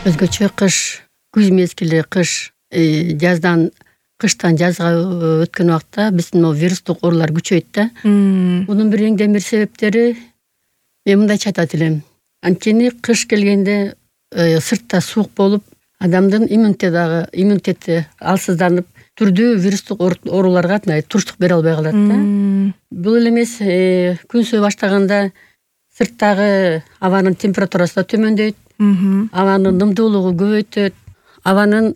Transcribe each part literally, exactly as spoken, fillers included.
Өзгөчө кыш, күз мезгили, кыш, жаздан кыштан жазга өткөн убакта биздин могу вирустук оорулар күчөйт да. Мунун бир эң демир себептери мен мындайча айтат элем. Анткени кыш келгенде сыртта суук болуп, адамдын иммунитети дагы иммунитети алсызданып, түрдүү вирустук ооруларга туруштук бере албай калат да. Бул эле эмес, күн ысый баштаганда сырттагы абанын температурасы да төмөндөйт, абанын нымдуулугу көбөйтөт, абанын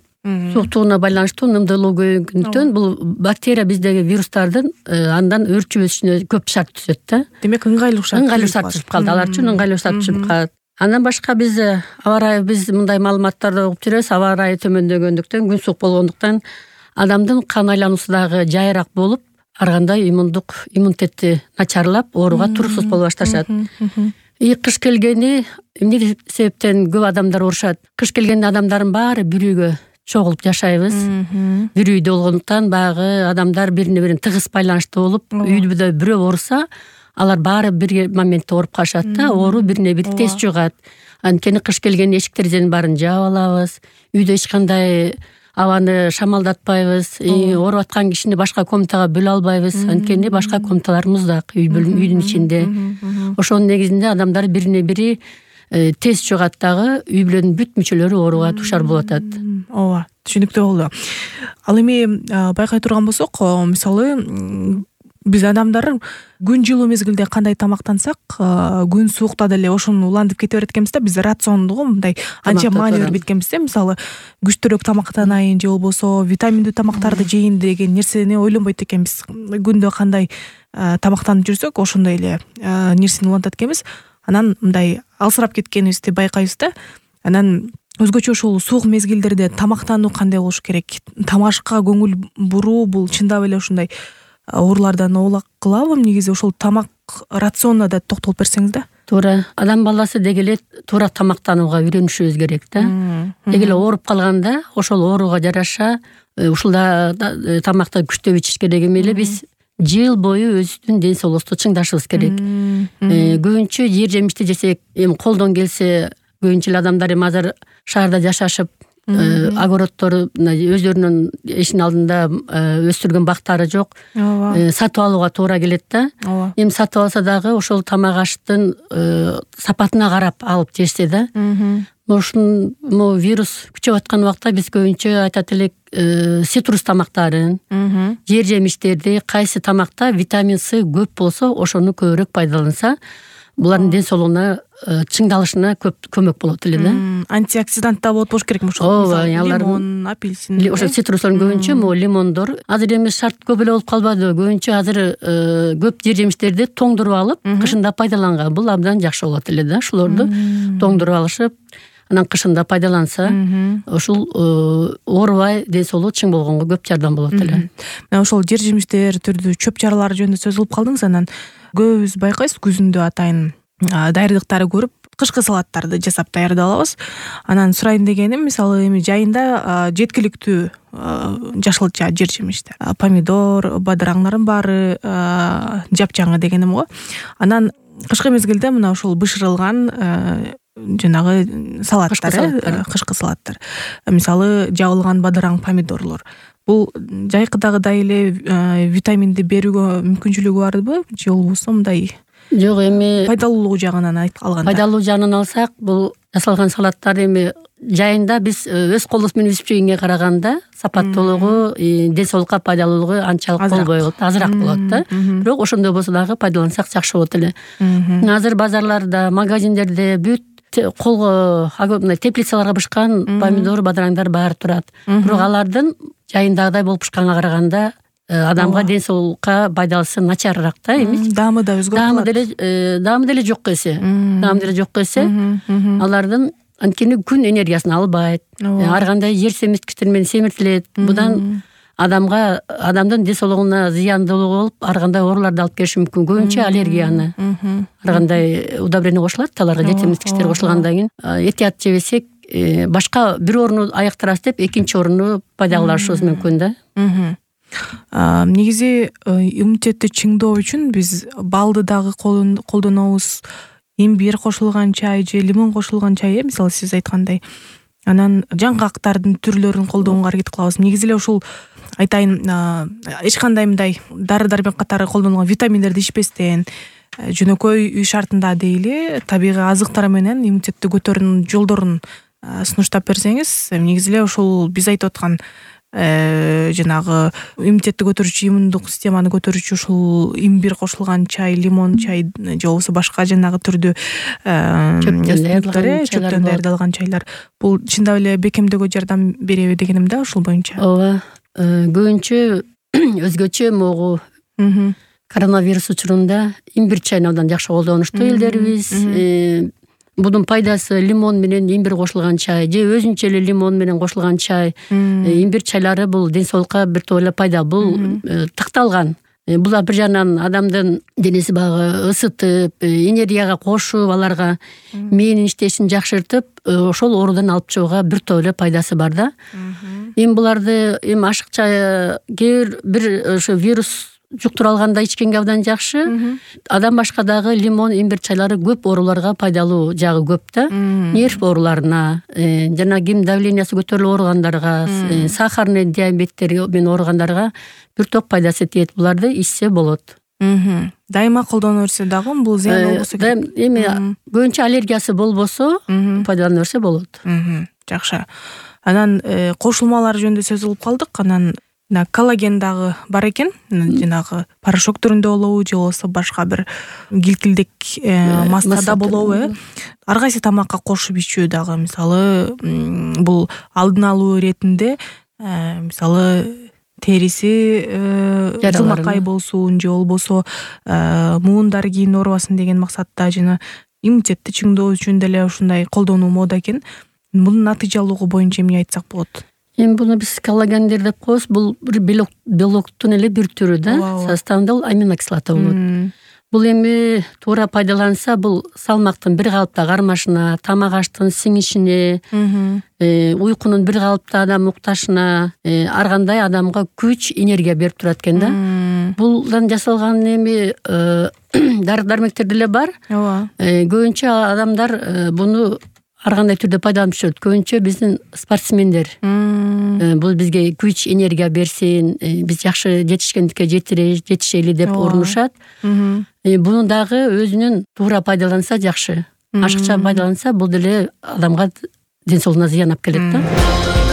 сууктугуна байланыштуу нымдуулугу көбөйгөндүктөн бул бактерия биздеги вирустардын андан өөрчүп өсүшүнө көп шарт түзөт да. Демек ыңгайлуу шарт. Ыңгайлуу шарт түзүп калды. Алар үчүн ыңгайлуу шарт түзүп калат. Андан башка биз аба ырайы биз мындай маалыматтарды угуп жүрөбүз. Аба ырайы төмөндөгөндүктөн, күн суук болгондуктан адамдын кан айлануусу дагы жайыраак болуп, ар кандай иммундук иммунитети начарлап, ооруга туруусуз боло башташат. И кыш келгени эмне себептен көп адамдар оорушат? Кыш келгенде адамдардын баары бир үйгө чогулуп жашайбыз. Бир үйдө болгондуктан баягы адамдар бирине бири тыгыз байланыштуу болуп, үйдө бирөө ооруса, алар баары бир моментте ооруп калышат да, оору бирине бири тез жугат. Анткени кыш келгенде эшик терезенин баарын жаап алабыз, үйдө эч кандай абаны шамалдатпайбыз, ооруп аткан кишини башка комнатага бөлө албайбыз, анткени башка комнаталар муздак үйдүн ичинде. Ошонун негизинде адамдар бирине бири тез жугат дагы, үй бүлөнүн бүт мүчөлөрү ооруга дуушар болуп атат. Ооба, түшүнүктүү болду. Ал эми байкай турган болсок, мисалы биз адамдар күн жылуу мезгилде кандай тамактансак, күн суукта деле ошону улантып кете берет экенбиз да. Биз рационду го мындай анча маани берип кеткенбиз да. Мисалы күчтүүрөөк тамактанайын же болбосо витаминдүү тамактарды жейин деген нерсени ойлонбойт экенбиз. Күндө кандай тамактанып жүрсөк, ошондой эле нерсени улантат экенбиз. Анан мындай алсырап кеткенибизди байкайбыз да. Анан өзгөчө ушул суук мезгилдерде тамактануу кандай болуш керек? Тамашка көңүл буруу бул чындап эле ушундай оорулардан оолак кылабы? Негизи ошол тамак рационуна да токтолуп берсеңиз да. Туура. Адам баласы деги эле туура тамактанууга үйрөнүшүбүз керек да. Деги эле ооруп калганда ошол ооруга жараша ушулда тамакты күчтөп ичиш керек эмес эле. Биз жыл бою өзүбүздүн ден соолугубузду чыңдашыбыз керек. Көбүнчө жер жемишти жесек, эми колдон келсе, көбүнчө эле адамдар эми азыр шаарда жашашып, огороддору өздөрүнүн эшинин алдында өстүргөн бактары жок. Сатып алууга туура келет да. Эми сатып алса дагы ошол тамак аштын сапатына карап алып жешсе да. Ушун вирус күчөп аткан убакта биз көбүнчө айтат элек, цитрус тамактарын, жер жемиштерди, кайсы тамакта витамин С көп болсо, ошону көбүрөөк пайдаланса, булардын ден соолугуна чыңдалышына көп көмөк болот эле да. Антиоксидант да болот болуш керекми ошол? Ооба, лимон, апельсин. Ошо цитруслордун көбүнчө могу лимондор. Азыр эми шарт көп эле болуп калбады. Көбүнчө азыр көп жер жемиштерди тоңдуруп алып, кышында пайдаланган. Бул абдан жакшы болот эле да. Ушулорду тоңдуруп алышып, анан кышында пайдаланса, ушул оорубай ден соолугу чың болгонго көп жардам болот эле. Мына ошол жер жемиштер түрдүү чөп чаралар жөнүндө сөз кылып калдыңыз. Анан көбүбүз байкайбыз, күзүндө атайын даярдыктары көрүп, кышкы салаттарды жасап даярдап алабыз. Анан сурайын дегеним, мисалы эми жайында жеткиликтүү жашылча жер жемиштер, помидор, бадыраңдардын баары жапжаңы дегеним го. Анан кышкы мезгилде мына ошол бышырылган жанагы салаттар, кышкы салаттар. Мисалы жабылган бадыраң, помидорлор. Бул жайкыдагыдай эле витаминди берүүгө мүмкүнчүлүгү барбы? Же болбосо мындай? Жок, эми пайдалуулугу жагынан алганда. Пайдалуу жагынан алсак, бул жасалган салаттар эми жайында биз өз колубуз менен өсүп жегенге караганда сапаттуулугу, ден соолукка пайдалуулугу анчалык болбой калат, азыраак болот да. Бирок ошондой болсо дагы пайдалансак жакшы болот эле. Азыр базарларда, магазиндерде бүт колго мындай теплицаларга бышкан помидор, бадыраңдар баары турат. Бирок алардын жайындагыдай болуп бышканга караганда адамга ден соолукка пайдалысы начарыраак да, эмес? Даамы да өзгөрүп калат. Даамы деле, даамы деле жок эсе. Даамы деле жок эсе. Алардын анткени күн энергиясын албайт. Ар кандай жер семирткичтер менен семиртилет. Будан адамга, адамдын ден соолугуна зыяндуулугу болуп, ар кандай ооруларды алып келиши мүмкүн. Көбүнчө аллергияны. Ар кандай удобрение кошулат, аларга жер семирткичтер кошулгандан кийин этият жебесек, башка бир орунду аяктырабыз деп, экинчи орунду пайда кылышыбыз мүмкүн да. Негизи иммунитетти чыңдоо үчүн биз балды дагы колдонобуз. Имбир кошулган чай же лимон кошулган чай, мисалы сиз айткандай. анан жаңгактардын түрлөрүн колдонууга аракет кылабыз. Негизи эле ушул айтайын, эч кандай мындай дары дармек катары колдонулган витаминдерди ичпестен, жөнөкөй үй шартында дейли табигый азыктар менен иммунитетти көтөрүүнүн жолдорун сунуштап берсеңиз, негизи эле ушул биз айтып аткан жанагы иммунитетти көтөрүүчү, иммундук системаны көтөрүүчү ушул имбир кошулган чай, лимон чай же болбосо башка жанагы түрдүү чөптөн даярдалган чайлар, бул чындап эле бекемдөөгө жардам береби дегеним да ушул боюнча. Ооба, көбүнчө өзгөчө могу коронавирус учурунда имбир чайын абдан жакшы колдонушту элдерибиз. Будун пайдасы лимон менен имбир кошулган чай же өзүнчө эле лимон менен кошулган чай, имбир чайлары бул ден соолукка бир топ эле пайда. Бул тыкталган. Бул бир жагынан адамдын денеси багы ысытып, энергияга кошуп, аларга мээнин иштешин жакшыртып, ошол оорудан алып чыгууга бир топ эле пайдасы бар да. Эми буларды эми ашыкча кээ бир ошо вирус жуктура алганда ичкенге абдан жакшы. Адам башка дагы лимон, имбир чайлары көп ооруларга пайдалуу жагы көп да. Нерв ооруларына, жана ким давлениясы көтөрүлүп ооругандарга, сахарный диабеттер менен ооругандарга бир топ пайдасы тиет. Буларды ичсе болот. Дайыма колдоно берсе дагы бул зыян болбосо керек. Эми көбүнчө аллергиясы болбосо пайдалана берсе болот. Жакшы. Анан кошулмалар жөнүндө сөз кылып калдык. Анан коллаген дагы бар экен, жанагы порошок түрүндө болобу же болбосо башка бир килкилдек массада болобу, э? Ар кайсы тамакка кошуп ичүү дагы, мисалы, бул алдын алуу иретинде, мисалы, териси жылмакай болсун же болбосо муундар кийин оорубасын деген максатта жана иммунитетти чыңдоо үчүн деле ушундай колдонуу мода экен. Мунун натыйжалуулугу боюнча эмне айтсак болот? Эми буну биз коллагендер деп коебуз. Бул бир белок, белоктун эле бир түрү да. Составында бул аминокислота болот. Бул эми туура пайдаланса, бул салмактын бир калыпта кармашына, тамак аштын сиңишине, уйкунун бир калыпта адам укташына, ар кандай адамга күч, энергия берип турат экен да. Булдан жасалган эми дары дармектер деле бар. Ооба. Көбүнчө адамдар буну ар кандай түрдө пайдаланып жүрөт. Көбүнчө биздин спортсмендер. Бул бизге күч, энергия берсин, биз жакшы жетишкендикке жетишели деп урунушат. Буну дагы өзүнүн туура пайдаланса жакшы. Ашыкча пайдаланса бул деле адамга ден соолугуна зыян алып келет да.